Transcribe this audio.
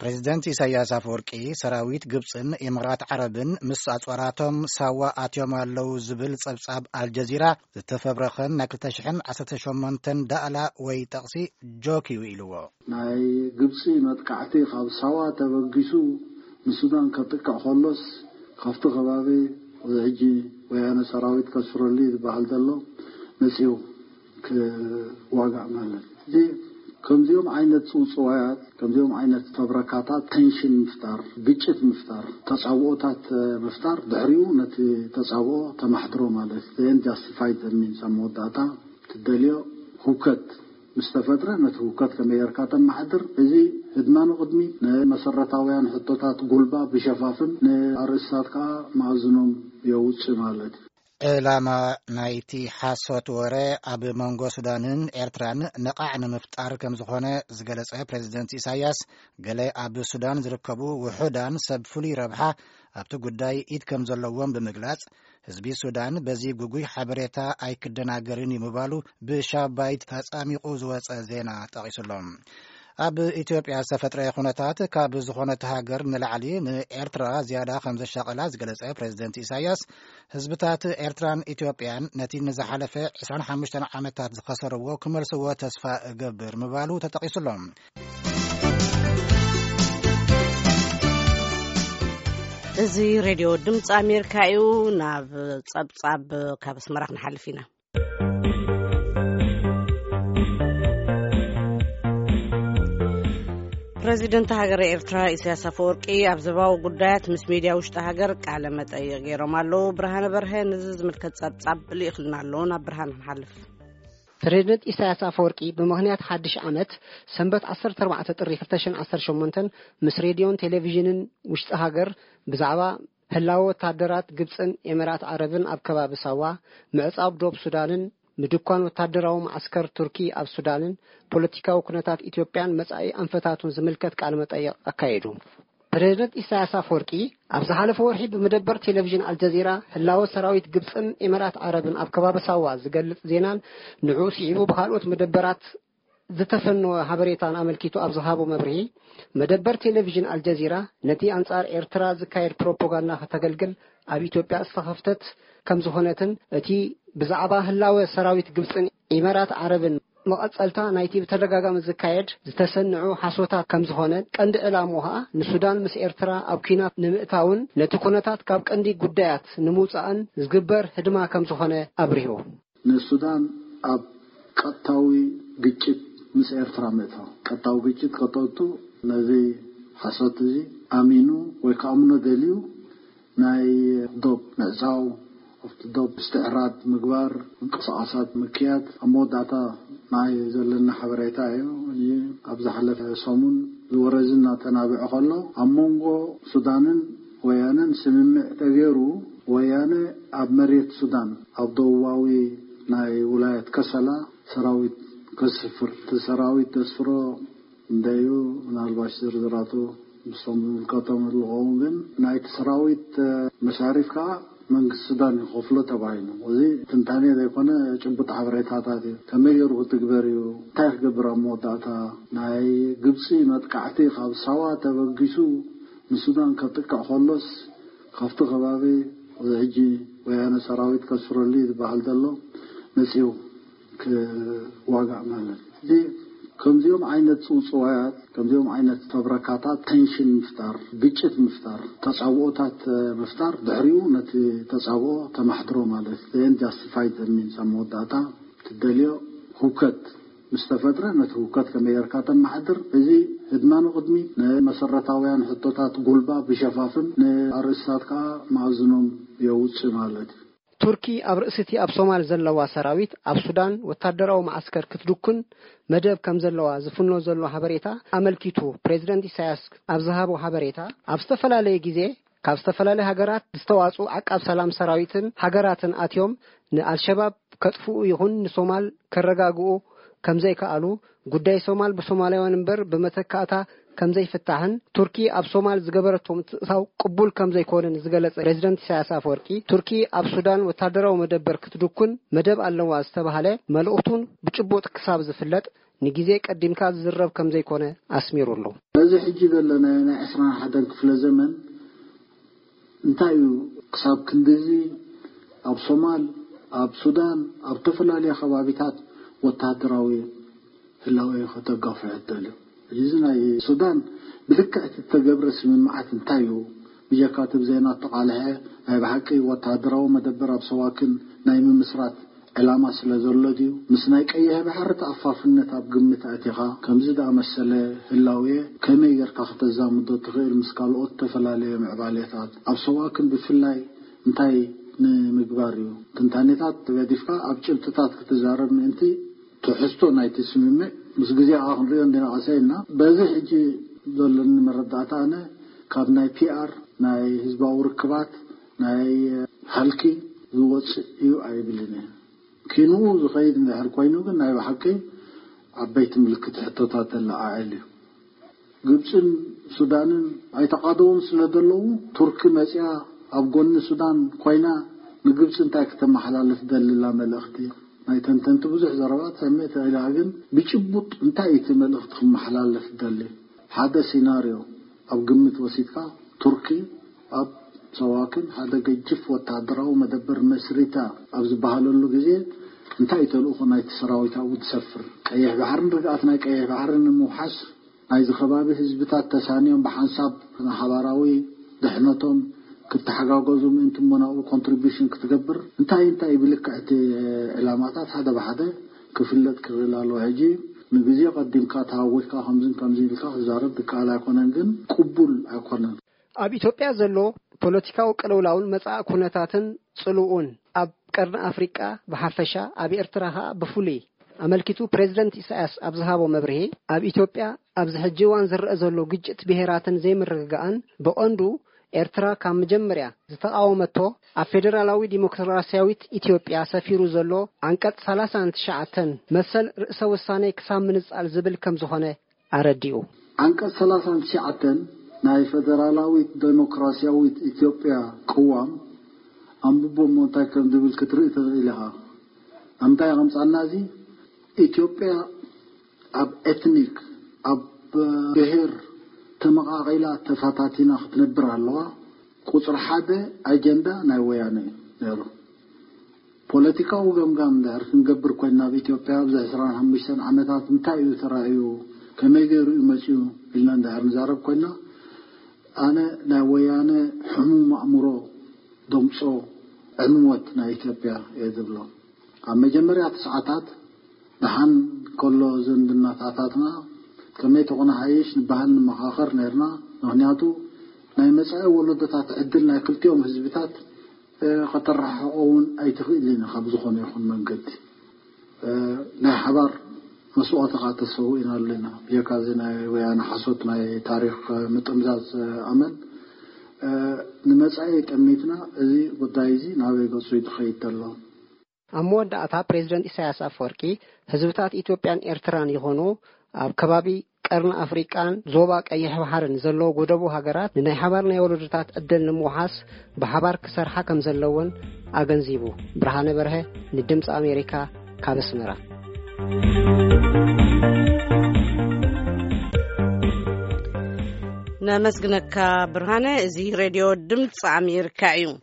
ፕሬዚደንት ኢሳያስ ኣፈወርቂ፣ ሰራዊት ግብፅን ኢማራት ዓረብን ምስ ኣፅዋራቶም ሳዋ ኣትዮም ኣለዉ ዝብል ፀብፃብ ኣልጀዚራ ዝተፈብረኸን ናይ ክልተ ሽሕን ዓሰርተ ሸሞንተን ዳእላ ወይ ጠቕሲ ጆክ እዩ ኢልዎ። ናይ ግብፂ መጥቃዕቲ ካብ ሳዋ ተበጊሱ ንሱዳን ከጥቅዕ ከሎስ፣ ካብቲ ከባቢ እዚ ሕጂ ወያነ ሰራዊት ከስፍረሉ እዩ ዝበሃል ዘሎ መፂኡ ክዋጋእ ማለት እዩ። እዚ ከምዚኦም ዓይነት ጽውጽዋያት፣ ከምዚኦም ዓይነት ፈብረካታት ቴንሽን ምፍጣር፣ ግጭት ምፍጣር፣ ተጻብኦታት ምፍጣር፣ ድሕሪኡ ነቲ ተጻብኦ ተማሕድሮ ማለት እዩ። Then justify the means፣ ኣብ መወዳእታ ትደልዮ ህውከት ምስ ተፈጥረ፣ ነቲ ህውከት ከመይ ጌርካ ተመሓድር? እዚ ህድማ ንቕድሚት፣ ንመሰረታውያን ሕቶታት ጉልባብ ይሸፋፍን፣ ንኣርእስታት ከኣ መኣዝኖም የውጽእ ማለት እዩ። ዕላማ ናይቲ ሓሶት ወረ ኣብ መንጎ ሱዳንን ኤርትራን ነቓዕ ንምፍጣር ከም ዝኾነ ዝገለጸ ፕሬዚደንት ኢሳያስ፣ ገለ ኣብ ሱዳን ዝርከቡ ውሑዳን ሰብ ፍሉይ ረብሓ ኣብቲ ጉዳይ ኢድ ከም ዘለዎም ብምግላጽ፣ ህዝቢ ሱዳን በዚ ግጉይ ሓበሬታ ኣይክደናገርን እዩ ምባሉ ብሻባይት ተጻሚቑ ዝወጸ ዜና ጠቒሱሎም። ኣብ ኢትዮጵያ ዝተፈጥረ ኩነታት ካብ ዝኾነት ሃገር ንላዕሊ ንኤርትራ ዝያዳ ከም ዘሻቐላ ዝገለጸ ፕሬዚደንት ኢሳያስ፣ ህዝብታት ኤርትራን ኢትዮጵያን ነቲ ንዝሓለፈ ዕስራን ሓሙሽተን ዓመታት ዝኸሰርዎ ክመልስዎ ተስፋ እገብር ምባሉ ተጠቒሱሎም። እዚ ሬድዮ ድምፂ ኣሜሪካ እዩ። ናብ ጸብጻብ ካብ ኣስመራ ክንሓልፍ ኢና። ፕረዚደንት ሃገረ ኤርትራ ኢሳያስ ኣፈወርቂ ኣብ ዞባዊ ጉዳያት ምስ ሚድያ ውሽጢ ሃገር ቃለ መጠይቕ ገይሮም ኣለዉ። ብርሃነ በርሀ ነዚ ዝምልከት ጸብጻብ ልኢኽልና ኣሎ። ናብ ብርሃነ ክንሓልፍ። ፕረዚደንት ኢሳያስ ኣፈወርቂ ብምኽንያት ሓድሽ ዓመት ሰንበት ዓሰርተ ኣርባዕተ ጥሪ ክልተ ሽሕን ዓሰርተ ሸሞንተን ምስ ሬድዮን ቴሌቪዥንን ውሽጢ ሃገር ብዛዕባ ህላወ ወታደራት ግብጽን ኤሚራት ዓረብን ኣብ ከባቢ ሳዋ፣ ምዕጻው ዶብ ሱዳንን ምድኳን ወታደራዊ መዓስከር ቱርኪ ኣብ ሱዳንን ፖለቲካዊ ኩነታት ኢትዮጵያን መጻኢ ኣንፈታቱን ዝምልከት ቃለ መጠይቕ ኣካየዱ። ፕረዚደንት ኢሳያስ ኣፈወርቂ ኣብ ዝሓለፈ ወርሒ ብመደበር ቴሌቪዥን ኣልጀዚራ ህላወ ሰራዊት ግብጽን ኤሚራት ዓረብን ኣብ ከባቢ ሳዋ ዝገልጽ ዜናን ንዕኡ ስዒቡ ብኻልኦት መደበራት ዝተፈነወ ሓበሬታን ኣመልኪቱ ኣብ ዝሃቦ መብርሂ፣ መደበር ቴሌቪዥን ኣልጀዚራ ነቲ ኣንጻር ኤርትራ ዝካየድ ፕሮፓጋንዳ ከተገልግል ኣብ ኢትዮጵያ ዝተኸፍተት ከም ዝኾነትን እቲ ብዛዕባ ህላወ ሰራዊት ግብጽን ኢማራት ዓረብን መቐጸልታ ናይቲ ብተደጋጋሚ ዝካየድ ዝተሰንዑ ሓሶታት ከም ዝኾነ፣ ቀንዲ ዕላምኡ ኸኣ ንሱዳን ምስ ኤርትራ ኣብ ኲናት ንምእታውን ነቲ ኩነታት ካብ ቀንዲ ጉዳያት ንምውጻእን ዝግበር ህድማ ከም ዝኾነ ኣብሪሁ። ንሱዳን ኣብ ቀጥታዊ ግጭት ምስ ኤርትራ ምእታው፣ ቀጥታዊ ግጭት ከተእቱ፣ ነዚ ሓሶት እዚ ኣሚኑ ወይ ክኣምኖ ደልዩ ናይ ዶብ ምዕጻው፣ ኣብቲ ዶብ ምስትዕራድ ምግባር፣ ምንቅስቓሳት ምክያድ፣ ኣብ መወዳእታ ናይ ዘለና ሓበሬታ እዩ። እዚ ኣብ ዝሓለፈ ሰሙን ዝወረዚ እናተናብዐ ከሎ፣ ኣብ መንጎ ሱዳንን ወያነን ስምምዕ ተገይሩ፣ ወያነ ኣብ መሬት ሱዳን፣ ኣብ ደቡባዊ ናይ ውላየት ከሰላ ሰራዊት ከስፍር፣ እቲ ሰራዊት ዘስፍሮ እንደዩ፣ ምናልባሽ ዝርዝራቱ ምስቶም ዝምልከቶም ዝኸውን፣ ግን ናይቲ ሰራዊት መሻሪፍ ከዓ መንግስቲ ሱዳን ይኸፍሎ ተባሂሉ። እዚ ትንታኔ ዘይኮነ ጭቡጥ ሓበሬታታት እዩ። ከመይ ገይሩ ክትግበር እዩ? እንታይ ክገብር ኣብ መወዳእታ? ናይ ግብፂ መጥቃዕቲ ካብ ሳዋ ተበጊሱ ንሱዳን ከጥቅዕ ከሎስ፣ ካብቲ ከባቢ እዚ ሕጂ ወያነ ሰራዊት ከስፍረሉ እዩ ዝበሃል ዘሎ መፂኡ ክዋጋእ ማለት እዩ። እዚ ከምዚኦም ዓይነት ጽውጽዋያት፣ ከምዚኦም ዓይነት ፈብረካታት ቴንሽን ምፍጣር፣ ግጭት ምፍጣር፣ ተጻብኦታት ምፍጣር፣ ድሕሪኡ ነቲ ተጻብኦ ተማሕድሮ ማለት እዩ። Then justify the means፣ ኣብ መወዳእታ ትደልዮ ህውከት ምስ ተፈጥረ፣ ነቲ ህውከት ከመይ ጌርካ ተመሓድር፣ እዚ ህድማ ንቕድሚት፣ ንመሰረታውያን ሕቶታት ጉልባብ ይሸፋፍን፣ ንኣርእስታት ከኣ መኣዝኖም የውጽእ ማለት እዩ። ቱርኪ ኣብ ርእሲ እቲ ኣብ ሶማል ዘለዋ ሰራዊት ኣብ ሱዳን ወታደራዊ መዓስከር ክትድኩን መደብ ከም ዘለዋ ዝፍኖ ዘሎ ሓበሬታ ኣመልኪቱ፣ ፕሬዚደንት ኢሳያስ ኣብ ዝሃቦ ሓበሬታ፣ ኣብ ዝተፈላለየ ግዜ ካብ ዝተፈላለያ ሃገራት ዝተዋጽኡ ዓቃብ ሰላም ሰራዊትን ሃገራትን ኣትዮም ንኣልሸባብ ከጥፍኡ ይኹን ንሶማል ከረጋግኡ ከም ዘይከኣሉ፣ ጉዳይ ሶማል ብሶማላውያን እምበር ብመተካእታ ከም ዘይፍታሕን ቱርኪ ኣብ ሶማል ዝገበረቶ ምትእትታው ቅቡል ከም ዘይኮነን ዝገለጸ ፕሬዚደንት ኢሳያስ ኣፈወርቂ፣ ቱርኪ ኣብ ሱዳን ወታደራዊ መደበር ክትድኩን መደብ ኣለዋ ዝተባህለ መልእኽቱን ብጭቡጥ ክሳብ ዝፍለጥ ንግዜ ቀዲምካ ዝዝረብ ከም ዘይኮነ ኣስሚሩ ኣሎ። በዚ ሕጂ ዘለናዮ ናይ ዕስራን ሓደን ክፍለ ዘመን እንታይ እዩ ክሳብ ክንድዚ ኣብ ሶማል፣ ኣብ ሱዳን፣ ኣብ ተፈላለየ ከባቢታት ወተሃደራዊ ህላወ ከተጋፍሕ እትደልዩ? እዚ ናይ ሱዳን ብልክዕ እቲ እተገብረ ስምምዓት እንታይ እዩ? ብጀካ እቲ ብዜና እተቓልሐ ናይ ብሓቂ ወተሃደራዊ መደበር ኣብ ሰዋክን ናይ ምምስራት ዕላማ ስለ ዘሎ ድዩ? ምስ ናይ ቀይሕ ባሕሪ ተኣፋፍነት ኣብ ግምት ኣእቲኻ ከምዚ ዝኣመሰለ ህላውየ ከመይ ጌርካ ከተዛምዶ ትኽእል ምስ ካልኦት ዝተፈላለየ ምዕባሌታት? ኣብ ሰዋክን ብፍላይ እንታይ ንምግባር እዩ? ትንታኔታት ገዲፍካ ኣብ ጭብጥታት ክትዛረብ ምእንቲ ትሕዝቶ ናይቲ ስምምዕ ምስ ግዜ ከዓ ክንሪኦ እንዲና ቀሰ ኢልና። በዚ ሕጂ ዘለኒ መረዳእታ ኣነ ካብ ናይ ፒኣር ናይ ህዝባዊ ርክባት ናይ ሃልኪ ዝወፅእ እዩ ኣይብልን እየ። ኪንኡ ዝኸይድ እንድሕር ኮይኑ ግን ናይ ብሓቂ ዓበይቲ ምልክት ሕቶታት ዘለዓዕል እዩ። ግብፅን ሱዳንን ኣይተቓደውን ስለ ዘለዉ ቱርኪ መፅያ ኣብ ጎኒ ሱዳን ኮይና ንግብፂ እንታይ ክተመሓላልፍ ደልላ መልእኽቲ? ናይ ተንተንቲ ብዙሕ ዘረባ ትሰምዕ ትኽእል ኢኻ፣ ግን ብጭቡጥ እንታይ እቲ መልእኽቲ ክመሓላለፍ ደሊ? ሓደ ሲናርዮ ኣብ ግምት ወሲድካ ቱርኪ ኣብ ሰዋክን ሓደ ገጅፍ ወታደራዊ መደበር መስሪታ ኣብ ዝበሃለሉ ግዜ እንታይ ተልእኾ ናይቲ ሰራዊት ኣብኡ ትሰፍር? ቀይሕ ባሕርን ርግኣት ናይ ቀይሕ ባሕርን ንምውሓስ ናይዚ ከባቢ ህዝብታት ተሳንዮም ብሓንሳብ ንሓባራዊ ድሕነቶም ክተሓጋገዙ ምእንቲ እሞ ናብኡ ኮንትሪቢሽን ክትገብር እንታይ እንታይ ብልክዕ እቲ ዕላማታት ሓደ ብሓደ ክፍለጥ ክኽእል ኣለዎ። ሕጂ ንግዜ ቀዲምካ ተሃዊኽካ ከምዝን ከምዚ ኢልካ ክዛረብ ዝከኣል ኣይኮነን፣ ግን ቅቡል ኣይኮነን። ኣብ ኢትዮጵያ ዘሎ ፖለቲካዊ ቅልውላውን መጻኢ ኩነታትን ጽልኡን ኣብ ቀርኒ ኣፍሪቃ ብሓፈሻ ኣብ ኤርትራ ኸኣ ብፍሉይ ኣመልኪቱ ፕሬዝደንት ኢሳያስ ኣብ ዝሃቦ መብርሂ ኣብ ኢትዮጵያ ኣብዚ ሕጂ እዋን ዝረአ ዘሎ ግጭት ብሄራትን ዘይምርግጋእን ብቐንዱ ኤርትራ ካብ መጀመርያ ዝተቓወመቶ ኣብ ፌደራላዊ ዲሞክራሲያዊት ኢትዮጵያ ሰፊሩ ዘሎ ዓንቀጽ ሰላሳን ትሽዓተን መሰል ርእሰ ውሳኔ ክሳብ ምንጻል ዝብል ከም ዝኾነ ኣረዲኡ። ዓንቀጽ ሰላሳን ትሽዓተን ናይ ፈደራላዊት ዴሞክራሲያዊት ኢትዮጵያ ቅዋም ኣንብቦ እሞ እንታይ ከም ዝብል ክትርኢ ትኽእል ኢኻ። ኣብ ምንታይ ከምጻና እዚ ኢትዮጵያ ኣብ ኤትኒክ ኣብ ብሔር ተመቓቒላ ተፈታቲና ክትነብር ኣለዋ። ቁጽሪ ሓደ ኣጀንዳ ናይ ወያነ እዩ ነይሩ። ፖለቲካዊ ገምጋም እንድሕር ክንገብር ኮይና ኣብ ኢትዮጵያ ኣብዚ ዕስራን ሓሙሽተን ዓመታት እንታይ እዩ ተራእዩ፣ ከመይ ገይሩ እዩ መፅዩ ኢልና እንድሕር ንዛረብ ኮይና ኣነ ናይ ወያነ ሕሙም ኣእምሮ ደምፆ ዕንወት ናይ ኢትዮጵያ እየ ዝብሎ። ኣብ መጀመርያ ሰዓታት ደሓን ከሎ ዝምድናታታትና ከመይ ተኾነ ሓይሽ ንበሃል ንመኻኸር ነርና። ምኽንያቱ ናይ መጻኢ ወለዶታት ዕድል ናይ ክልቲኦም ህዝብታት ከተረሓሕቆ እውን ኣይትኽእል ኢና ካብ ዝኾነ ይኹን መንገዲ። ናይ ሓባር መስዋእቲ ከዓ ተሰዊእና ኣለና። ብጀካ እዚ ናይ ወያነ ሓሶት ናይ ታሪክ ምጥምዛዝ ኣመል ንመጻኢ ጠሚትና እዚ ጉዳይ እዚ ናበይ ገጹ እዩ ዝኸይድ ዘሎ? ኣብ መወዳእታ ፕሬዝደንት ኢሳያስ ኣፈወርቂ ህዝብታት ኢትዮጵያን ኤርትራን ይኾኑ ኣብ ከባቢ ቀርኒ ኣፍሪቃን ዞባ ቀይሕ ባሕርን ዘለዉ ጎደቦ ሃገራት ንናይ ሓባር ናይ ወለዶታት ዕድል ንምውሓስ ብሓባር ክሰርሓ ከም ዘለወን ኣገንዚቡ። ብርሃነ በርሀ ንድምፂ ኣሜሪካ ካብ ኣስመራ። ነመስግነካ ብርሃነ። እዚ ሬድዮ ድምፂ ኣሜሪካ እዩ።